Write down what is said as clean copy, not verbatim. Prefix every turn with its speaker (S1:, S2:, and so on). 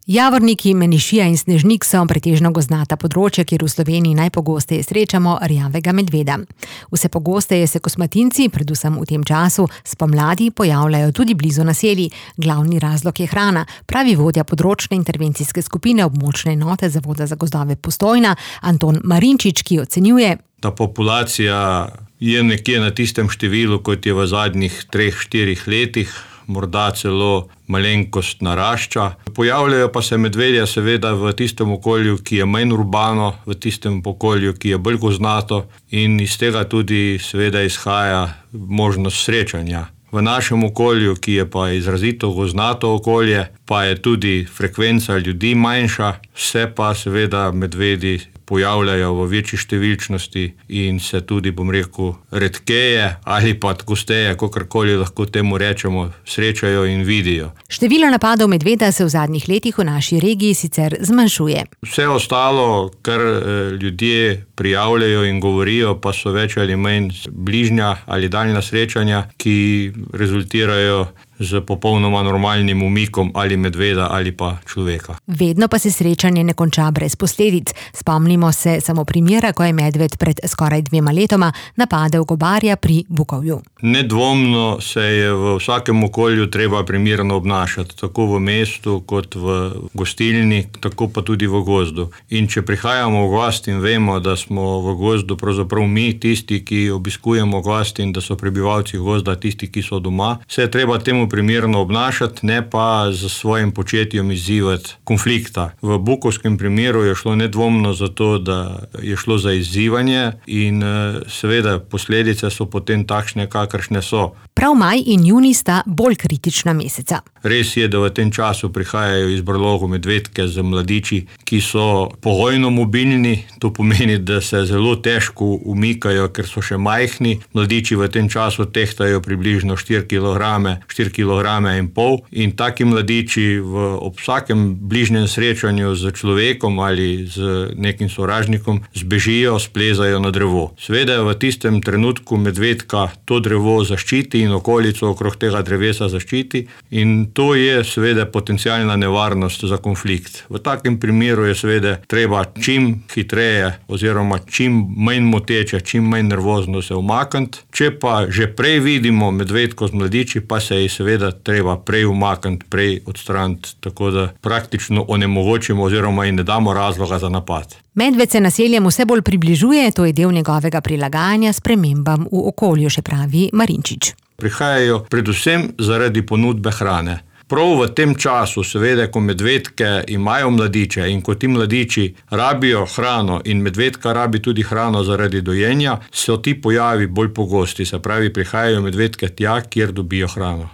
S1: Javorniki, menišija in snežnik so pretežno gozdnata področja, kjer v Sloveniji najpogosteje srečamo rjavega medveda. Vse pogosteje se kosmatinci, predvsem v tem času, spomladi pojavljajo tudi blizu naselij. Glavni razlog je hrana, pravi vodja področne intervencijske skupine območne enote Zavoda za gozdove Postojna, Anton Marinčič, ki ocenjuje:
S2: Ta populacija je nekje na tistem številu, kot je v zadnjih 3-4 letih, morda celo malenkost narašča. Pojavljajo pa se medvedje seveda v tistem okolju, ki je manj urbano, v tistem okolju, ki je bolj gozdnato, in iz tega tudi seveda izhaja možnost srečanja. V našem okolju, ki je pa izrazito gozdnato okolje, pa je tudi frekvenca ljudi manjša, se pa seveda medvedi pojavljajo v večji številčnosti in se tudi, redkeje ali pa gosteje, kakorkoli lahko temu rečemo, srečajo in vidijo.
S1: Število napadov medveda se v zadnjih letih v naši regiji sicer zmanjšuje.
S2: Vse ostalo, kar ljudje prijavljajo in govorijo, pa so več ali manj bližnja ali daljna srečanja, ki rezultirajo z popolnoma normalnim umikom ali medveda ali pa človeka.
S1: Vedno pa se srečanje ne konča brez posledic. Spomnimo se samo primera, ko je medved pred skoraj 2 letoma napadel gobarja pri Bukovju.
S2: Nedvomno se je v vsakem okolju treba primerno obnašati, tako v mestu kot v gostilni, tako pa tudi v gozdu. In če prihajamo v gost in vemo, da smo v gozdu pravzaprav mi tisti, ki obiskujemo gost, in da so prebivalci gozda tisti, ki so doma, se je treba temu primerno obnašati, ne pa z svojim početjem izzivati konflikta. V bukovskem primeru je šlo nedvomno za to, da je šlo za izzivanje in seveda posledice so potem takšne, kakršne so.
S1: Prav maj in junij sta bolj kritična meseca.
S2: Res je, da v tem času prihajajo iz brlogov medvedke z mladiči, ki so pogojno mobilni. To pomeni, da se zelo težko umikajo, ker so še majhni. Mladiči v tem času tehtajo približno 4,5 kg in taki mladiči ob vsakem bližnjem srečanju z človekom ali z nekim sovražnikom zbežijo, splezajo na drevo. Seveda v tistem trenutku medvedka to drevo zaščiti in okolico okrog tega drevesa zaščiti, in to je seveda potencialna nevarnost za konflikt. V takem primeru je seveda treba čim hitreje oziroma čim manj moteče, čim manj nervozno se umakniti. Če pa že prej vidimo medvedko z mladiči, pa se je seveda treba prej umakniti, prej odstraniti, tako da praktično onemogočimo oziroma jim ne damo razloga za napad.
S1: Medved se naseljem vse bolj približuje, to je del njegovega prilagajanja spremembam v okolju, še pravi Marinčič.
S2: Prihajajo predvsem zaradi ponudbe hrane. Prav v tem času, seveda, ko medvedke imajo mladiče in ko ti mladiči rabijo hrano in medvedka rabi tudi hrano zaradi dojenja, so ti pojavi bolj pogosti, se pravi, prihajajo medvedke tja, kjer dobijo hrano.